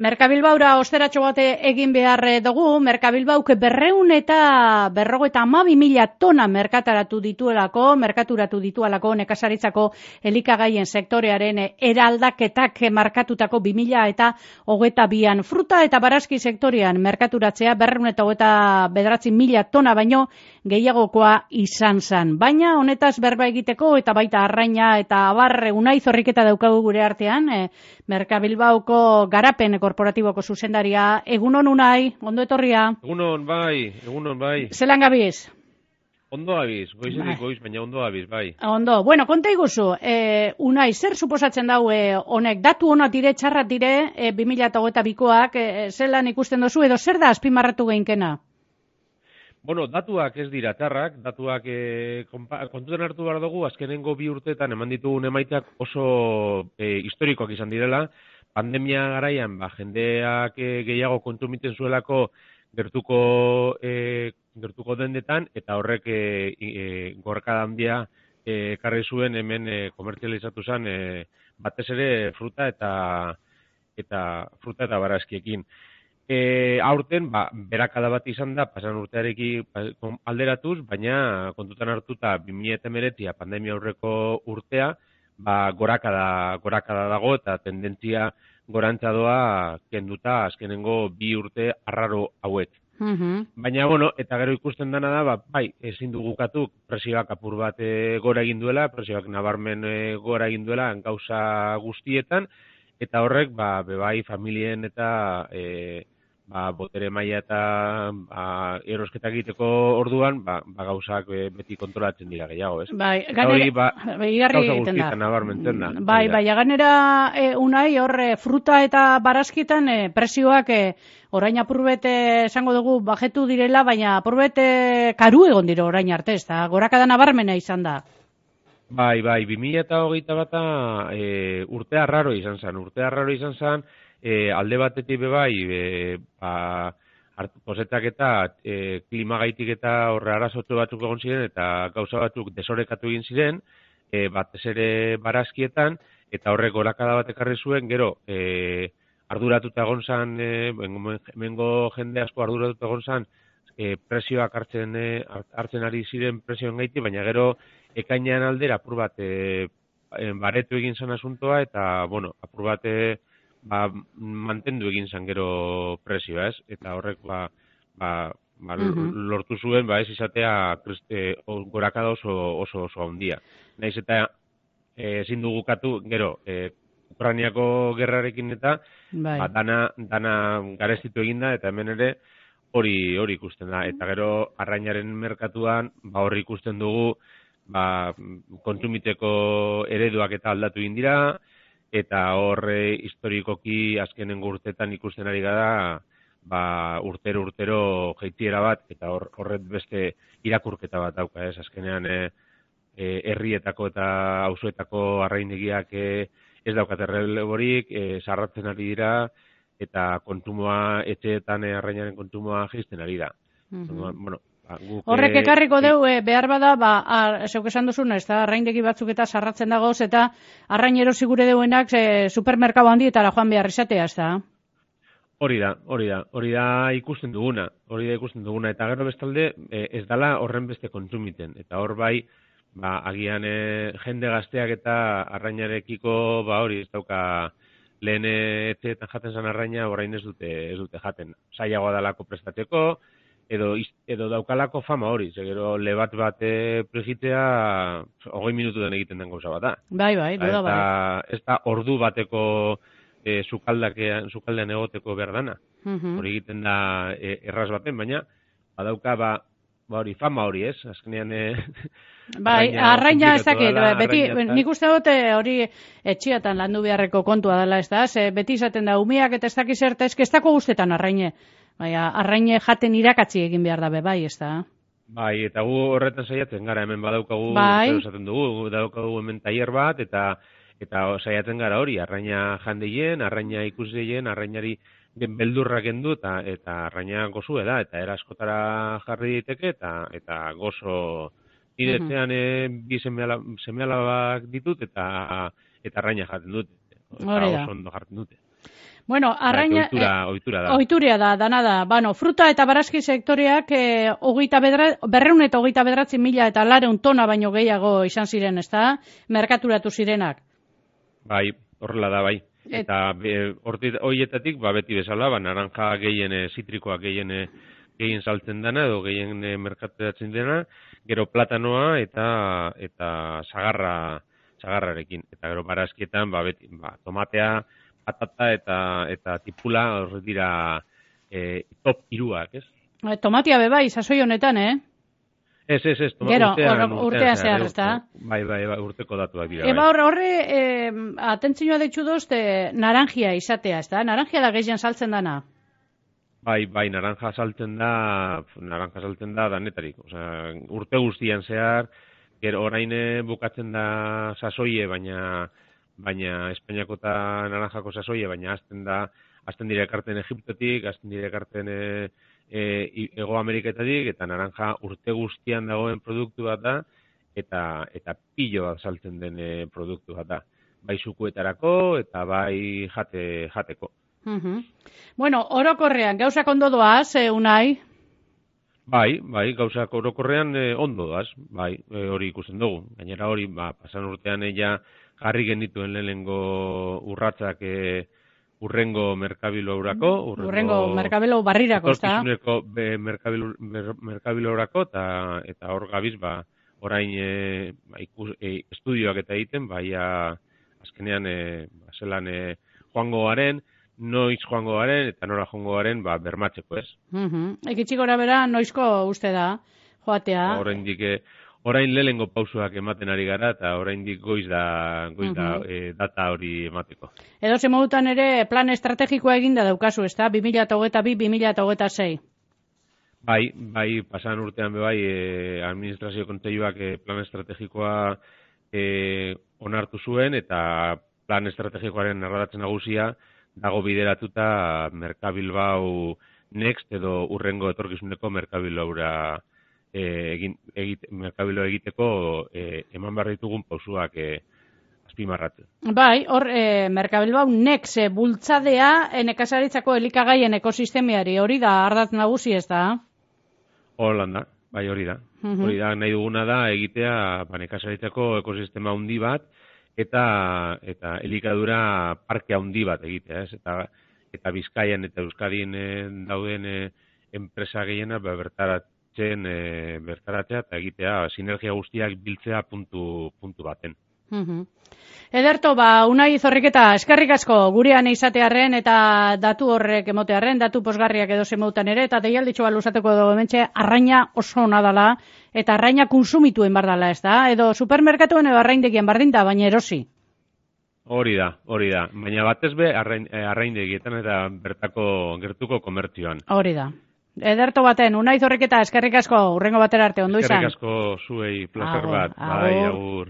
Merkabilbaura osteratxo bat egin behar dugu. Merkabilbauk 252.000 tona merkaturatu dituelako nekazaritzako elikagaien sektorearen eraldaketak markatutako 2022an. Fruta eta barazki sektorean merkaturatzea 229.000 tona baino gehiagokoa izan zen. Baina honetaz berba egiteko eta baita arraina eta abar Unai Zorriketa daukagu gure artean, Merkabilbauko garapen korporatiboko zuzendaria. Egunon Unai, ondo etorria? Egunon bai. Zelan gabiz? Ondo abiz, goizetik goiz, baina ondo abiz, bai. Ondo, bueno, konta iguzu, Unai, zer suposatzen daue honek? Datu honat dire, txarrat dire, 2022koak, zelan ikusten dozu, edo zer da azpimarratu geinkena? Bueno, datuak ez dira txarrak, datuak kontutan hartu behar dugu, azkenengo 2 urteetan eman ditugun emaitzak oso historikoak izan direla. Pandemia garaian, jendeak gehiago kontsumiten zuelako gertuko dendetan, eta horrek gorkada handia ekarri zuen hemen komertzializatu zen batez ere fruta eta barazkiekin. Aurten, berakada bat izan da, pasan urtearekin alderatuz, baina kontutan hartuta 2019 pandemia aurreko urtea, gorakada dago eta tendentzia gorantza doa kenduta azkenengo 2 urte arraro hauek. Baina, bueno, eta gero ikusten dana da, ezin dugu ukatu presioak apur bat gora egin duela, presioak nabarmen gora egin duela gauza guztietan, eta horrek, bebai familien eta botere maila eta erosketa egiteko orduan, gauzak beti kontrolatzen dira gehiago, ez? Bai, ganera, gauza guztietan nabarmentzen da. Bai, ganera, Unai, hor fruta eta barazkietan presioak orain apurbet esango dugu bajetu direla, baina apurbet karu egon dira orain arte, ez da? Gorakada nabarmena izan da. Bai, 2021 urtea arraro izan zen, alde batetik kosetak eta klimagaitik eta horre arazotu batzuk egon ziren eta gauza batzuk desorekatu egin ziren, batez ere barazkietan, eta horrek gorakada bat ekarri zuen, gero arduratuta egon zan, hemengo jende asko arduratuta egon zan, presioak hartzen ari ziren presioen gaitik, baina gero ekainean aldera apur bat baretu egin zan asuntoa, eta, bueno, apur bat mantendu egin zan gero presioa, ez? Eta horrek, lortu zuen, ez izatea gorakada oso handia. Naiz eta ezin dugu ukatu, gero, Ukrainiako gerrarekin eta dana garestitu eginda, eta hemen ere hori ikusten da. Eta gero, arrainaren merkatuan, hori ikusten dugu, kontsumiteko ereduak eta aldatu egin dira, eta horre historikoki azkenengo urteetan ikusten ari gara urtero jeitiera bat, eta horret beste irakurketa bat dauka, ez? Azkenean herrietako eta auzoetako arraindegiak ez daukate erreleborik, sarratzen ari dira, eta kontumoa, etxeetan arrainaren kontumoa jaisten ari da. Bueno, horrek ekarriko deu, behar bada, zeuk esan duzuna, ez da, arraindegi batzuk eta sarratzen dagoz, eta arrainero sigure deuenak supermerkatu handietara joan behar izatea, ez da? Hori da ikusten duguna, eta gero bestalde ez dala horren beste kontsumiten, eta hor agian jende gazteak eta arrainarekiko, hori ez dauka lehen etxeetan jaten zan arraina, orain ez dute jaten, zailagoa dalako prestatzeko, edo daukalako fama hori, gero lebat bat pregitea 20 minututan egiten den gauza bat da. Bai, duda bai. Ez da ordu bateko sukaldean egoteko behar dana. Hori egiten da erraz baten, baina badauka hori, fama hori, ez? Azkenean arraina ez dakit, beti, nik uste dut hori etxiatan landu beharreko kontua dela, ez da? Beti izaten da, umeak eta ez dakiz zerta, ez dako guztetan arraine. Arraine jaten irakatzi egin behar dabe, bai, ez da? Bai, eta gu horretan saiatzen gara, hemen badaukagu, esaten dugu, badaukagu hemen tailer bat, eta saiatzen gara hori, arraina jandeien, arraina ikusdeien, arrainari beldurrak endu, eta arraina gozue da, eta eraskotara jarri diteke, eta gozo niretzean bi seme-alabak ditut, eta arraina jaten dute, eta oso ondo jarten dute. Bueno, arraina... Ohitura da. Ohituria da, dana da. Bueno, fruta eta barazki sektoreak 239.000 eta 400 tona baino gehiago izan ziren, ezta? Merkaturatu zirenak. Bai, horrela da, bai. Eta horietatik, beti bezala, naranja gehien, zitrikoa gehien saltzen dena, edo gehien merkaturatzen dena, gero platanoa eta sagarrarekin. Eta gero barazkietan, beti, tomatea, patata eta tipula hor dira top iruak, ez? Tomatia bai, sasoi honetan, Ez, gero, urtean zehar, ezta? Bai, urteko datuak dira. Horre, atentzioa ditxu dozte, naranjia izatea, ezta? Naranjia da gehien saltzen dana? Bai, naranja saltzen da danetarik. Osea, urte guztian zehar, gero orain bukatzen da sasoie, baina Espainiako eta naranjako sasoie, baina hasten dira ekarten Egiptotik, hasten dira ekarten Ego Ameriketatik, eta naranja urte guztian dagoen produktu bat da, eta pilo bat saltzen den produktu bat da. Bai sukuetarako eta bai jateko. Bueno, orokorrean, gauzak ondo doaz, Unai? Bai, gauzak orokorrean ondo doaz, bai, hori ikusten dugu. Gainera hori, pasan urtean jarri genituen lehenengo urratsak urrengo merkabilourako. Urrengo merkabilo barrirako, ezta? Etorkizuneko merkabilourako, eta hor gabiz, orain estudioak eta egiten, azkenean, zelan joango garen, noiz joango garen, eta nora joango garen, bermatzeko, ez? Ekitxik gora bera, noizko uste da, joatea? Orain lehengo pausoak ematen ari gara, eta oraindik goiz da data hori emateko. Edo ze modutan ere plan estrategikoa eginda daukazu, ezta? 2022-2026. Bai, pasan urtean administrazio kontseiluak plan estrategikoa onartu zuen, eta plan estrategikoaren narradatzen nagusia dago bideratuta Merkabilbao Next edo urrengo etorkizuneko Merkabiloura merkabilo egiteko eman behar ditugun pausuak azpimarratzen. Bai, hor Merkabilbao Next bultzadea nekazaritzako elikagaien ekosistemiari, hori da ardatz nagusi, ez da? Holanda, bai hori da. Hori da, nahi duguna da egitea nekazaritzako ekosistema handi bat eta elikadura parke handi bat egitea, ez? Eta Bizkaian eta Euskadin dauden enpresa gehiena bertaratzea eta egitea sinergia guztiak biltzea puntu baten. Ederto, Unai Zorriketa, eskerrik asko gurean izatearren eta datu horrek emotearren, datu posgarriak edo zemautan ere, eta deialditxo luzatuko dugu hementxe, arraina oso ona dala, eta arraina konsumituen bardala, ez da? Edo supermerkatuen edo arraindegien bardinta, baina erosi. Hori da. Baina batez be arraindegietan eta gertuko komertzioan. Hori da. Ederto baten, Unai Zorriketa, eskerrik asko, urrengo batera arte, ondo izan. Eskerrik asko zuei, placer bat. Bai, agur.